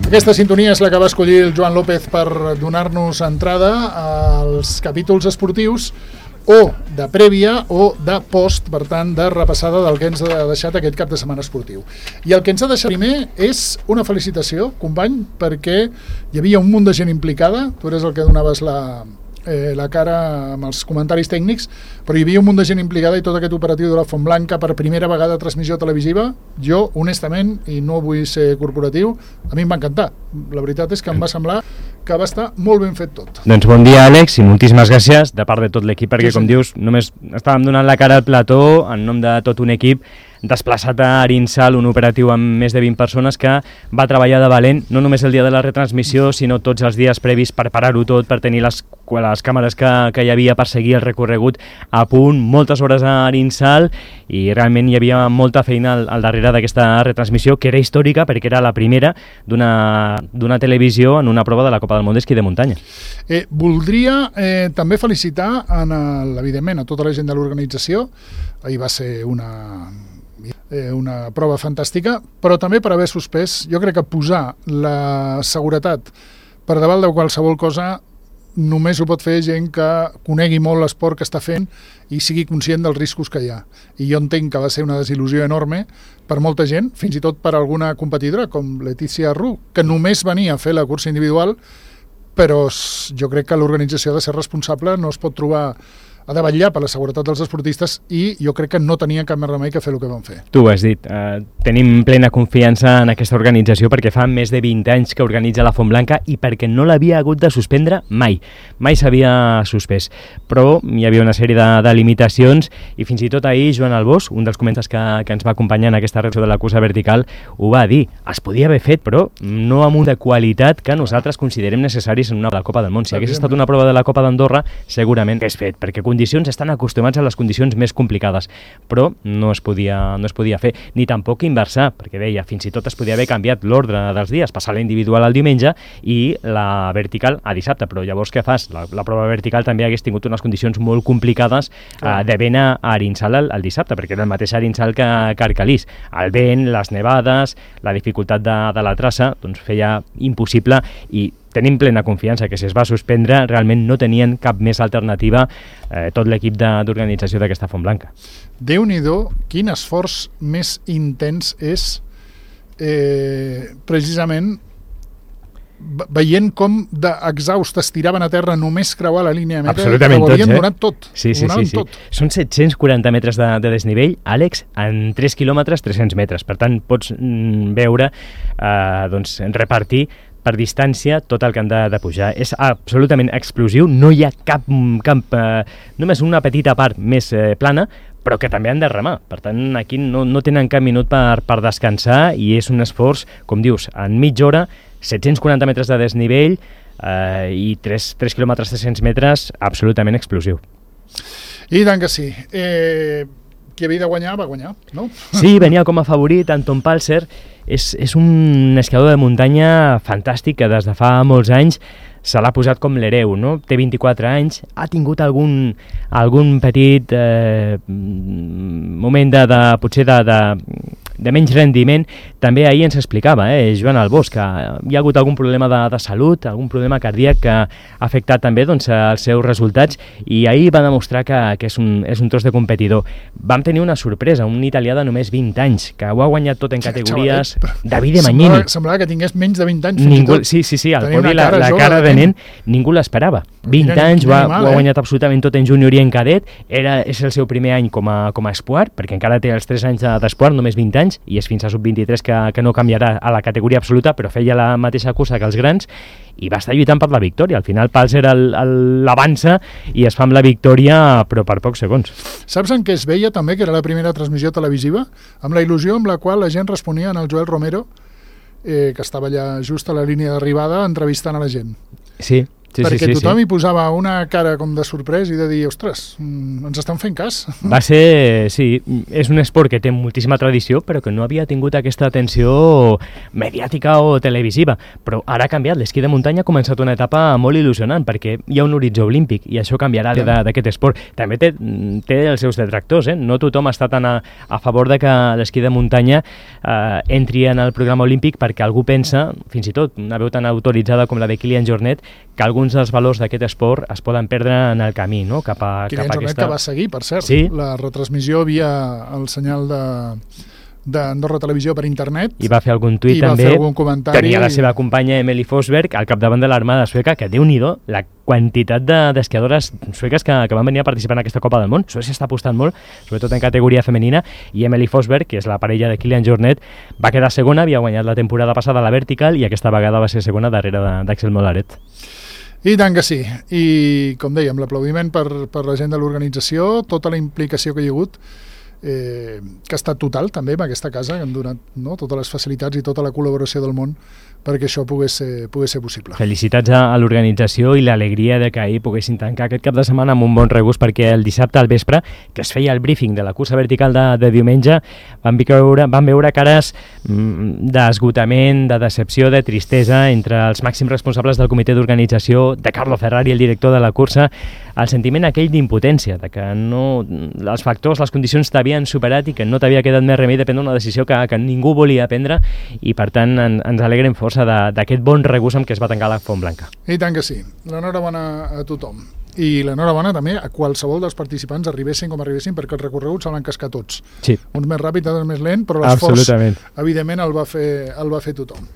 Aquesta sintonia és la que va escollir el Joan López per donar-nos entrada als capítols esportius o de prèvia o de post, per tant, de repassada del que ens ha deixat aquest cap de setmana esportiu. I el que ens ha deixat primer és una felicitació, company, perquè hi havia un munt de gent implicada, tu eres el que donaves la cara amb els comentaris tècnics, però hi havia un munt de gent implicada i tot aquest operatiu de la Fontblanca per primera vegada transmissió televisiva, jo, honestament, i no vull ser corporatiu, a mi em va encantar. La veritat és que em va semblar que va estar molt ben fet tot. Doncs bon dia, Àlex, i moltíssimes gràcies de part de tot l'equip, perquè, com dius, només estàvem donant la cara al plató en nom de tot un equip desplaçat a Arinsal, un operatiu amb més de 20 persones que va treballar de valent, no només el dia de la retransmissió, sinó tots els dies previs per parar-ho tot, per tenir les càmeres que hi havia per seguir el recorregut a punt, moltes hores a Arinsal, i realment hi havia molta feina al darrere d'aquesta retransmissió, que era històrica perquè era la primera d'una televisió en una prova de la Copa del Món d'esquí de muntanya. Voldria també felicitar, evidentment, a tota la gent de l'organització. Ahir va ser una prova fantàstica, però també per haver suspès, jo crec que posar la seguretat per davant de qualsevol cosa només ho pot fer gent que conegui molt l'esport que està fent i sigui conscient dels riscos que hi ha. I jo entenc que va ser una desil·lusió enorme per molta gent, fins i tot per alguna competidora com Letícia Arrú, que només venia a fer la cursa individual, però jo crec que l'organització ha de ser responsable, no es pot trobar a de vetllar per la seguretat dels esportistes i jo crec que no tenia cap més remei que fer el que van fer. Tu ho has dit, tenim plena confiança en aquesta organització perquè fa més de 20 anys que organitza la Fontblanca i perquè no l'havia hagut de suspendre mai s'havia suspès, però hi havia una sèrie de limitacions i fins i tot ahir Joan Albós, un dels comentaris que ens va acompanyar en aquesta reacció de la cursa vertical, ho va dir, es podia haver fet però no amb una qualitat que nosaltres considerem necessaris en una Copa del Món. Si hagués estat una prova de la Copa d'Andorra segurament hagués fet, perquè condicions estan acostumats a les condicions més complicades, però no es podia fer, ni tampoc inversar, perquè deia, fins i tot es podia haver canviat l'ordre dels dies, passar la individual al diumenge i la vertical a dissabte, però llavors què fas? La prova vertical també hagués tingut unes condicions molt complicades de vent a Arinsal el dissabte, perquè era el mateix Arinsal que Arcalís. El vent, les nevades, la dificultat de la traça, doncs feia impossible i tenim plena confiança que si es va suspendre realment no tenien cap més alternativa tot l'equip d'organització d'aquesta Fontblanca. Déu-n'hi-do, quin esforç més intens és precisament veient com d'exhaust es tiraven a terra només creuar la línia de meta, que ho havien donat tot. Sí. Són 740 metres de desnivell, Àlex, en 3 quilòmetres, 300 metres. Per tant, pots veure, repartir per distància tot el que han de pujar. És absolutament explosiu, no hi ha cap només una petita part més plana, però que també han de remar. Per tant, aquí no tenen cap minut per descansar i és un esforç, com dius, en mitja hora, 740 metres de desnivell i 3 quilòmetres 300 metres, absolutament explosiu. I tant que sí. Qui havia de guanyar, va guanyar, no? Sí, venia com a favorit, Anton Palser. És un esquiador de muntanya fantàstic que des de fa molts anys se l'ha posat com l'hereu, no? Té 24 anys, ha tingut algun petit moment potser de menys rendiment. També ahir ens explicava, Joan Albós, que hi ha hagut algun problema de salut, algun problema cardíac que ha afectat també els seus resultats i ahir va demostrar que és un tros de competidor. Vam tenir una sorpresa, un italià de només 20 anys, que ho ha guanyat tot en categories. Davide Magnini. Semblava que tingués menys de 20 anys. Fins i tot. Sí, al podi la cara de nen, ningú l'esperava. 20 anys, ho ha guanyat absolutament tot en júnior i en cadet, és el seu primer any com a esport, perquè encara té els 3 anys d'esport, només 20 anys, i és fins a sub-23 que no canviarà a la categoria absoluta, però feia la mateixa cursa que els grans, i va estar lluitant per la victòria. Al final Palser l'avança i es fa amb la victòria, però per pocs segons. Saps en què es veia també, que era la primera transmissió televisiva? Amb la il·lusió amb la qual la gent responia al Joel Romero, que estava allà just a la línia d'arribada entrevistant a la gent. Sí. perquè tothom hi posava una cara com de sorprès i de dir, ostres, ens estan fent cas. Va ser, sí, és un esport que té moltíssima tradició, però que no havia tingut aquesta atenció mediàtica o televisiva. Però ara ha canviat, l'esquí de muntanya ha començat una etapa molt il·lusionant, perquè hi ha un horitzó olímpic i això canviarà d'aquest esport. També té els seus detractors, no tothom està tan a favor de que l'esquí de muntanya entri en el programa olímpic, perquè algú pensa, fins i tot una veu tan autoritzada com la de Kilian Jornet, que alguns dels valors d'aquest esport es poden perdre en el camí, no? Kilian Jornet que va seguir, per cert, la retransmissió via el senyal d'Andorra Televisió per internet. I va fer algun tuit també. I va fer algun comentari. Tenia la seva companya Emily Forsberg al capdavant de l'armada sueca, que Déu-n'hi-do, la quantitat d'esquiadores sueques que van venir a participar en aquesta Copa del Món. Suècia està apostant molt, sobretot en categoria femenina, i Emily Forsberg, que és la parella de Kilian Jornet, va quedar segona, havia guanyat la temporada passada a la Vertical i aquesta vegada va ser segona darrere d'Axel Molaret. I tant que sí, i com dèiem, l'aplaudiment per la gent de l'organització, tota la implicació que hi ha hagut, que ha estat total també en aquesta casa, que han donat totes les facilitats i tota la col·laboració del món perquè això pogués ser possible. Felicitats a l'organització i l'alegria de que ahir poguessin tancar aquest cap de setmana amb un bon regust, perquè el dissabte al vespre, que es feia el briefing de la cursa vertical de diumenge, van veure cares d'esgotament, de decepció, de tristesa entre els màxims responsables del comitè d'organització, de Carlo Ferrari, el director de la cursa, el sentiment aquell d'impotència, de que els factors, les condicions t'havien superat i que no t'havia quedat més remei de prendre una decisió que ningú volia prendre, i per tant ens alegrem força d'aquest bon regust amb què es va tancar la Font Blanca. I tant que sí. L'enhorabona a tothom. I l'enhorabona també a qualsevol dels participants, arribessin com arribessin, perquè els recorreguts s'han cascat tots. Sí. Uns més ràpids, altres més lent, però l'esforç, evidentment, el va fer tothom.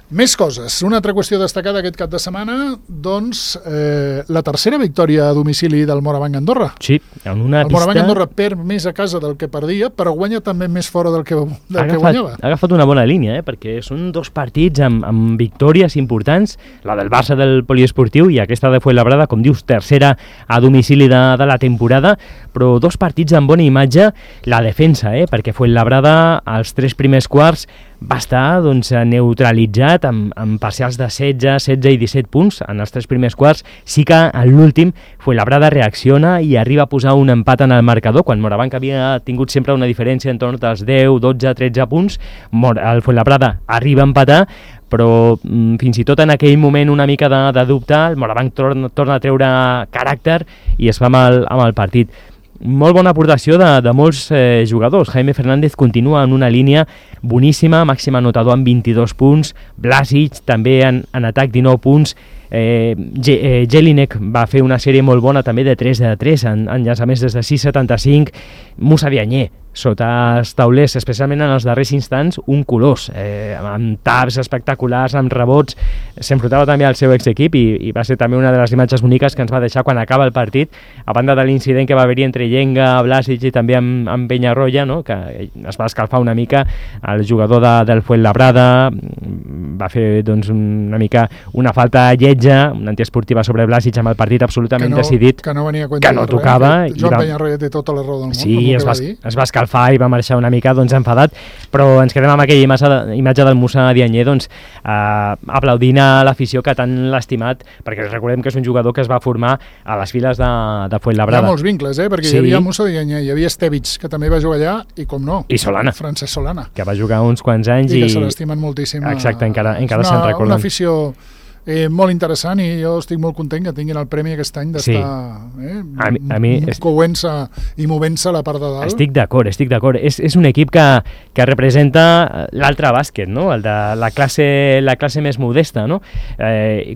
Més coses. Una altra qüestió destacada aquest cap de setmana, doncs, la tercera victòria a domicili del Morabanc Andorra. Sí, en una pista... El Morabanc Andorra perd més a casa del que perdia, però guanya també més fora del que guanyava. Ha agafat una bona línia, perquè són dos partits amb victòries importants, la del Barça del Poliesportiu i aquesta de Fuenlabrada, com dius, tercera a domicili de la temporada, però dos partits amb bona imatge, la defensa, perquè Fuenlabrada als 3 primers quarts va estar neutralitzat amb parcials de 16 i 17 punts en els 3 primers quarts. Sí que en l'últim Fuenlabrada reacciona i arriba a posar un empat en el marcador, quan Morabanc havia tingut sempre una diferència en torn dels 10, 12, 13 punts. El Fuenlabrada arriba a empatar, però fins i tot en aquell moment una mica de dubte, el Morabanc torna a treure caràcter i es fa amb el partit. Molt bona aportació de molts jugadors. Jaime Fernández continua en una línia boníssima, màxim anotador amb 22 punts, Blasic també en atac 19 punts, Jelinek va fer una sèrie molt bona també de 3 de 3 en llançaments des de 6,75, Moussa Diagne sota els taulers, especialment en els darrers instants, un colós, amb taps espectaculars, amb rebots, s'enfrontava també al seu exequip i va ser també una de les imatges boniques que ens va deixar quan acaba el partit, a banda de l'incident que va haver-hi entre Llenga, Blasic i també amb Peñarroya, que es va escalfar una mica, el jugador del Fuenlabrada va fer una mica una falta lletja, una antiesportiva sobre Blasic amb el partit absolutament decidit, que no venia a que no tocava. Joan Peñarroya té tota la raó del món. Sí, es va escalfar i va marxar una mica enfadat, però ens quedem amb aquella imatge del Moussa Diagne aplaudint a l'afició que tant l'ha estimat, perquè recordem que és un jugador que es va formar a les files de Fuenlabrada. Hi ha molts vincles, perquè hi havia Moussa Diagne, hi havia Stevic, que també va jugar allà, i com no, i Solana, Francesc Solana, que va jugar uns quants anys i que se l'estimen moltíssim. Exacte, encara se'n recorden. Una afició molt interessant, i jo estic molt content que tinguin el premi aquest any d'estar couent-se i movent-se a la part de dalt. Estic d'acord. És un equip que representa l'altre bàsquet, el de la classe més modesta, no?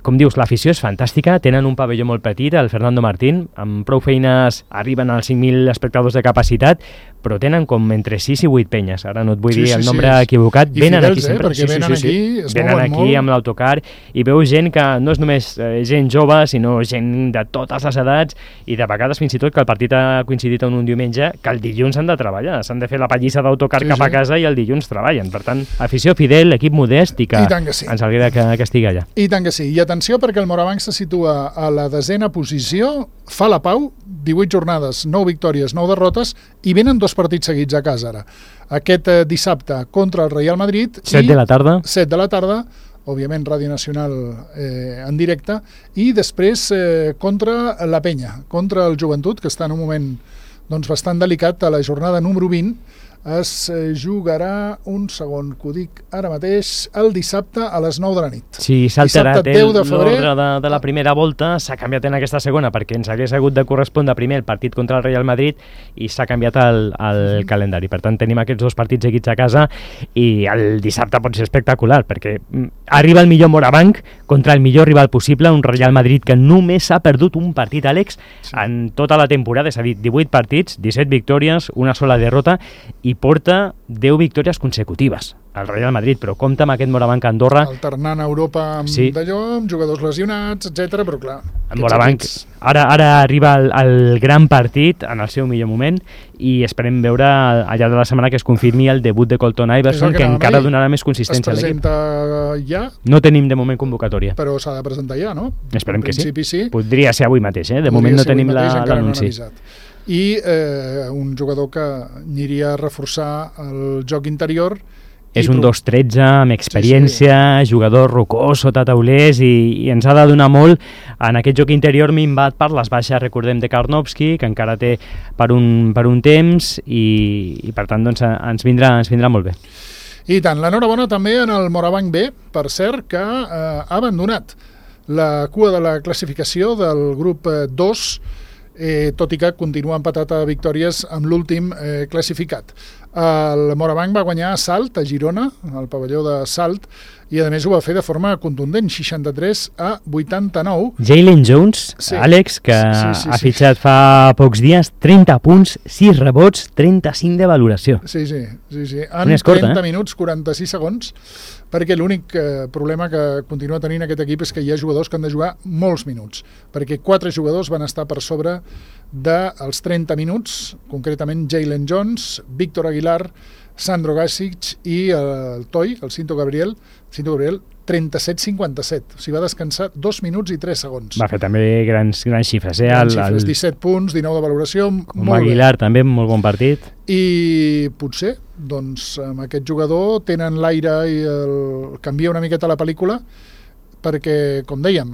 Com dius, l'afició és fantàstica, tenen un pavelló molt petit, el Fernando Martín, amb prou feines arriben als 5.000 espectadors de capacitat, però tenen com entre 6 i 8 penyes, ara no et vull dir el nombre equivocat, venen aquí sempre. Perquè venen aquí, es venen aquí amb l'autocar i veus gent que no és només gent jove, sinó gent de totes les edats, i de vegades fins i tot que el partit ha coincidit en un diumenge, que el dilluns han de treballar, s'han de fer la pallissa d'autocar cap a casa i el dilluns treballen. Per tant, afició fidel, equip modest, i que ens alegra que estigui allà. I tant que sí. I atenció, perquè el Morabanc se situa a la 10ª posició, fa la pau, 18 jornades, 9 victòries, 9 derrotes, i venen 2 partits seguits a casa ara. Aquest dissabte contra el Real Madrid 7 de la tarda. 7 de la tarda òbviament Ràdio Nacional en directe, i després contra la Penya, contra el Joventut, que està en un moment doncs, bastant delicat. A la jornada número 20 es jugarà, un segon que ho dic ara mateix, el dissabte a les 9 de la nit. Sí, s'ha alterat l'ordre de la primera volta, s'ha canviat en aquesta segona perquè ens hagués hagut de correspondre primer el partit contra el Real Madrid i s'ha canviat el calendari. Per tant, tenim aquests dos partits seguits a casa i el dissabte pot ser espectacular perquè arriba el millor Morabanc contra el millor rival possible, un Real Madrid que només ha perdut un partit, Àlex, en tota la temporada, és a dir, 18 partits, 17 victòries, una sola derrota, i porta 10 victòries consecutives al Real Madrid, però compta amb aquest Morabanc Andorra. Alternant a Europa amb d'allò, amb jugadors lesionats, etc. Però clar... Morabanc ara arriba el gran partit en el seu millor moment i esperem veure al llarg de la setmana que es confirmi el debut de Colton Iverson, que encara donarà més consistència a l'equip. Es presenta ja? No tenim de moment convocatòria. Però s'ha de presentar ja, no? Esperem que sí. Podria ser avui mateix, de moment no tenim l'anunci. I un jugador que aniria a reforçar el joc interior. És un 2-13 amb experiència, jugador rocós sota taulers i ens ha de donar molt en aquest joc interior minvat per les baixes, recordem, de Karnovski, que encara té per un temps i per tant doncs, ens vindrà molt bé. I tant, l'enhorabona també en el Morabanc B, per cert, que ha abandonat la cua de la classificació del grup 2, tot i que continua empatat a victòries amb l'últim classificat. El Morabanc va guanyar a Salt, a Girona, al pavelló de Salt, i a més ho va fer de forma contundent, 63-89. Jalen Jones, Àlex, que ha fitxat fa pocs dies, 30 punts, 6 rebots, 35 de valoració. Sí. En 30 minuts, 46 segons, perquè l'únic problema que continua tenint aquest equip és que hi ha jugadors que han de jugar molts minuts, perquè 4 jugadors van estar per sobre dels 30 minuts, concretament Jalen Jones, Víctor Aguilar, Sandro Gasic i el Toi, el Cinto Gabriel, 37-57. O sigui, va descansar 2 minuts i 3 segons. Va fer també grans xifres. Grans xifres, 17 punts, 19 de valoració, molt Aguilar bé. També, molt bon partit. I potser, doncs, amb aquest jugador tenen l'aire i canvia una miqueta la pel·lícula, perquè, com dèiem,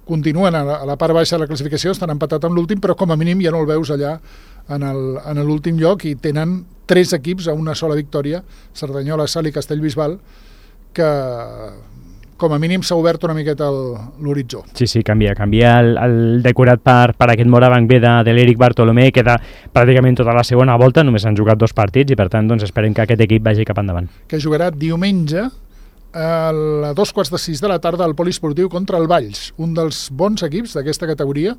continuen a la part baixa de la classificació, estan empatat amb l'últim, però com a mínim ja no el veus allà en l'últim lloc i tenen 3 equips a una sola victòria, Cerdanyola, Salt i Castellbisbal, que com a mínim s'ha obert una miqueta l'horitzó. Sí, canvia el decorat per aquest Morabanc B de l'Eric Bartolomé, queda pràcticament tota la segona volta, només han jugat 2 partits i per tant doncs, esperem que aquest equip vagi cap endavant. Que jugarà diumenge a 2:45 de la tarda al Poliesportiu contra el Valls, un dels bons equips d'aquesta categoria.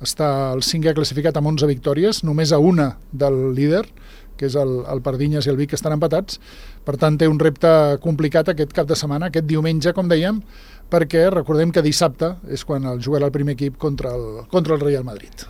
Està el 5è classificat amb 11 victòries, només a una del líder, que és el Pardinyes i el Vic, que estan empatats. Per tant, té un repte complicat aquest cap de setmana, aquest diumenge, com dèiem, perquè recordem que dissabte és quan el jugarà el primer equip contra el Real Madrid.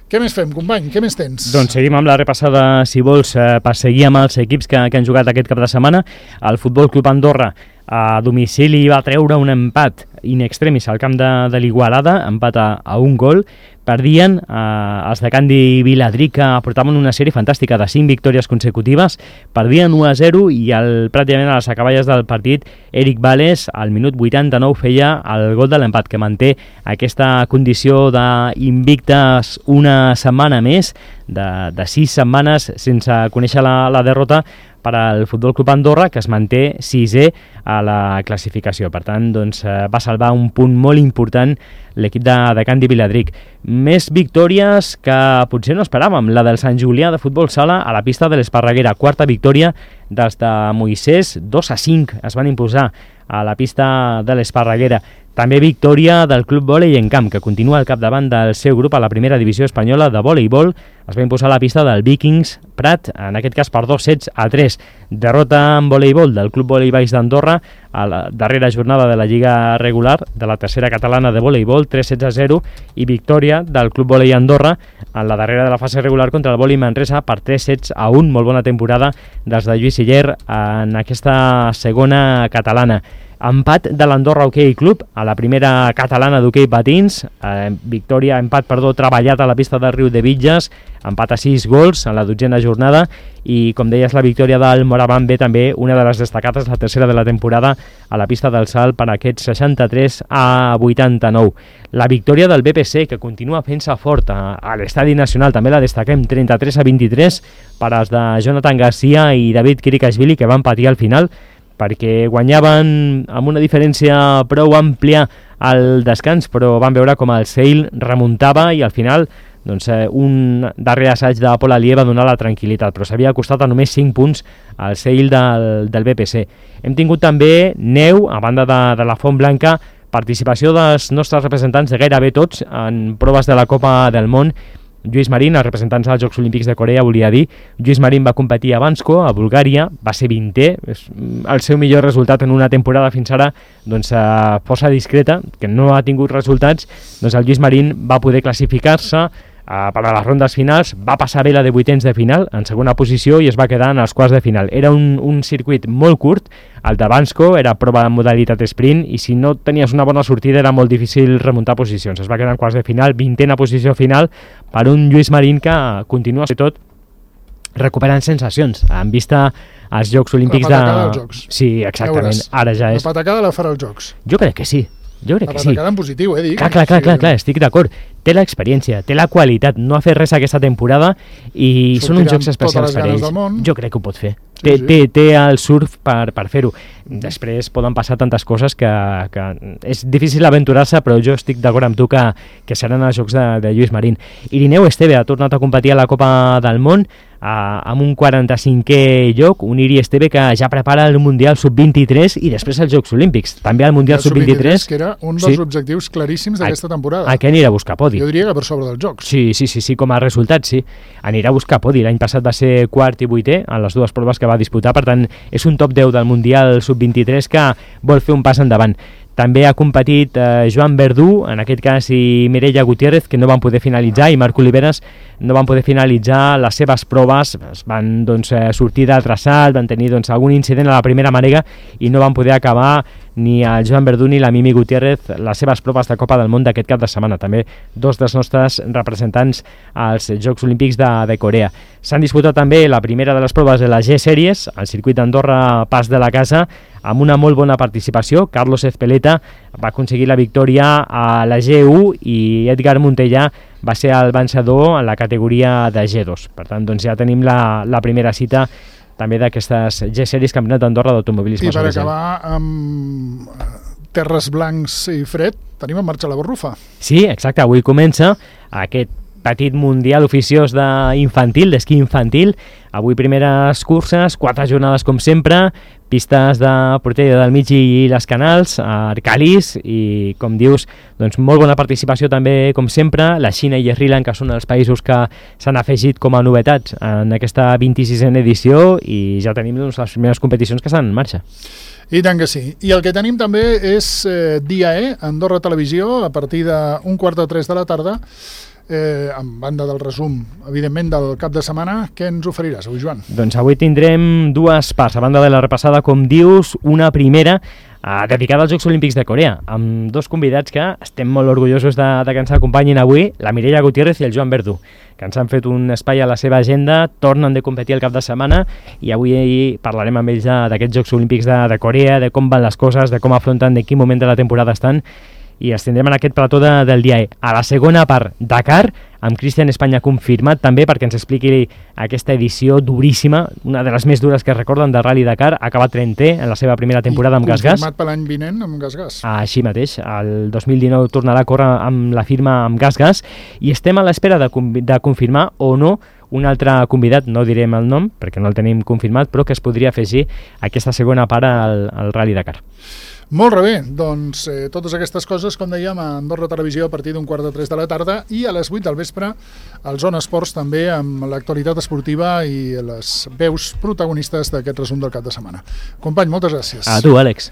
Què més fem, company? Què més tens? Doncs seguim amb la repassada, si vols, per seguir amb els equips que han jugat aquest cap de setmana. El Futbol Club Andorra a domicili va treure un empat in extremis al camp de l'Igualada, empat a un gol. Perdien els de Candi Viladric, que portaven una sèrie fantàstica de 5 victòries consecutives, perdien 1-0 i pràcticament a les acaballes del partit Eric Vales al minut 89 feia el gol de l'empat, que manté aquesta condició d'invictes una setmana més, de 6 setmanes sense conèixer la derrota per al Futbol Club Andorra, que es manté 6è a la classificació. Per tant, doncs, va salvar un punt molt important l'equip de Candi Viladric. Més victòries que potser no esperàvem. La del Sant Julià de Futbol Sala a la pista de l'Esparreguera. 4ª victòria dels de Moisès, 2-5 es van imposar a la pista de l'Esparreguera. També victòria del Club Vòlei en Camp, que continua al capdavant del seu grup a la primera divisió espanyola de voleibol. Es va imposar a la pista del Vikings Prat, en aquest cas per 2-3. Derrota en voleibol del Club Vòlei Baix d'Andorra a la darrera jornada de la Lliga regular de la tercera catalana de voleibol, 3-0, i victòria del Club Vòlei Andorra en la darrera de la fase regular contra el Vòlei Manresa per 3-1. Molt bona temporada dels de Lluís Siller en aquesta segona catalana. Empat de l'Andorra Hockey Club a la primera catalana d'hoquei patins, empat treballat a la pista del Riu de Vitges, empat a 6 gols en la 12a jornada i, com deies, la victòria del Moraván B, també una de les destacades, la tercera de la temporada a la pista del Salt per aquests 63-89. La victòria del BPC, que continua fent-se fort a l'Estadi Nacional, també la destaquem, 33-23 per als de Jonathan Garcia i David Kirikashvili, que van patir al final perquè guanyaven amb una diferència prou àmplia al descans, però van veure com el Sale remuntava i al final un darrer assaig de Pol Alier va donar la tranquil·litat, però s'havia costat a només 5 punts al Sale del BPC. Hem tingut també neu, a banda de la Font Blanca, participació dels nostres representants de gairebé tots en proves de la Copa del Món. Lluís Marín, els representants dels Jocs Olímpics de Corea, volia dir, Lluís Marín va competir a Bansko, a Bulgària, va ser 20è, el seu millor resultat en una temporada fins ara força discreta, que no ha tingut resultats, el Lluís Marín va poder classificar-se per a les rondes finals, va passar bé la de vuitens de final, en segona posició, i es va quedar en els quarts de final. Era un circuit molt curt, el de Bansko, era prova de modalitat sprint, i si no tenies una bona sortida era molt difícil remuntar posicions. Es va quedar en quarts de final, 20a posició final, per un Lluís Marín que continua, sobretot, recuperant sensacions, en vista als Jocs Olímpics de... La patacada dels Jocs. Sí, exactament, ara ja és... La patacada la farà als Jocs. Jo crec que sí. Jo crec que sí. La patacada en positiu, dic. Clar, estic d'acord. Té l'experiència, té la qualitat, no ha fet res aquesta temporada i són uns jocs especials per ells. Jo crec que ho pot fer. Té el surf per fer-ho. Després poden passar tantes coses que és difícil aventurar-se, però jo estic d'acord amb tu que seran els jocs de Lluís Marín. Irineu Esteve ha tornat a competir a la Copa del Món amb un 45è lloc, un Iri Esteve que ja prepara el Mundial Sub-23 i després els Jocs Olímpics. També el Mundial Sub-23, que era un dels objectius claríssims d'aquesta temporada. Aquí anirà a buscar podi. Jo diria que per sobre dels Jocs. Sí, com a resultat, sí. Anirà a buscar podi. L'any passat va ser quart i vuitè en les dues proves que va disputar, per tant, és un top 10 del Mundial Sub-23 que vol fer un pas endavant. També ha competit Joan Verdú, en aquest cas, i Mireia Gutiérrez, que no van poder finalitzar, i Marc Oliveres no van poder finalitzar les seves proves. Es van sortir de traçat, van tenir algun incident a la primera mànega i no van poder acabar ni el Joan Verdú ni la Mimi Gutiérrez les seves proves de Copa del Món d'aquest cap de setmana. També dos dels nostres representants als Jocs Olímpics de Corea. S'han disputat també la primera de les proves de la G-Series, al circuit d'Andorra Pas de la Casa, amb una molt bona participació. Carlos Ezpeleta va aconseguir la victòria a la G1 i Edgar Montellà va ser el vencedor en la categoria de G2. Per tant, ja tenim la primera cita també d'aquestes G-Series, Campionat d'Andorra d'automobilisme. I per acabar amb terres blancs i fred, tenim en marxa la Barrufa. Sí, exacte, avui comença aquest petit mundial oficiós d'esquí infantil. Avui primeres curses, 4 jornades com sempre, pistes de Portella del Mig i les Canals, Arcalís, i com dius, molt bona participació també com sempre, la Xina i Sri Lanka són els països que s'han afegit com a novetats en aquesta 26a edició i ja tenim les primeres competicions que estan en marxa. I tant que sí. I el que tenim també és Dia E, Andorra Televisió, a partir d'un 2:45 de la tarda, en banda del resum, evidentment, del cap de setmana. Què ens oferiràs avui, Joan? Doncs avui tindrem dues parts, a banda de la repassada, com dius, una primera dedicada als Jocs Olímpics de Corea, amb dos convidats que estem molt orgullosos de que ens acompanyin avui, la Mireia Gutiérrez i el Joan Verdú, que ens han fet un espai a la seva agenda, tornen de competir el cap de setmana i avui parlarem amb ells d'aquests Jocs Olímpics de Corea, de com van les coses, de com afronten, de quin moment de la temporada estan, i els tindrem en aquest plató del dia E. A la segona part, Dakar, amb Cristian Espanya confirmat també perquè ens expliqui aquesta edició duríssima, una de les més dures que recorden de Rally Dakar, ha acabat 30è en la seva primera temporada amb Gas-Gas. Confirmat per l'any vinent amb Gas-Gas. Així mateix, el 2019 tornarà a córrer amb la firma amb Gas-Gas i estem a l'espera de confirmar o no un altre convidat, no direm el nom perquè no el tenim confirmat, però que es podria afegir aquesta segona part al Rally Dakar. Molt bé, doncs totes aquestes coses, com dèiem, a Andorra Televisió a partir d'un 2:45 de la tarda i a les 8 del vespre al Zona Esports també amb l'actualitat esportiva i les veus protagonistes d'aquest resum del cap de setmana. Company, moltes gràcies. A tu, Àlex.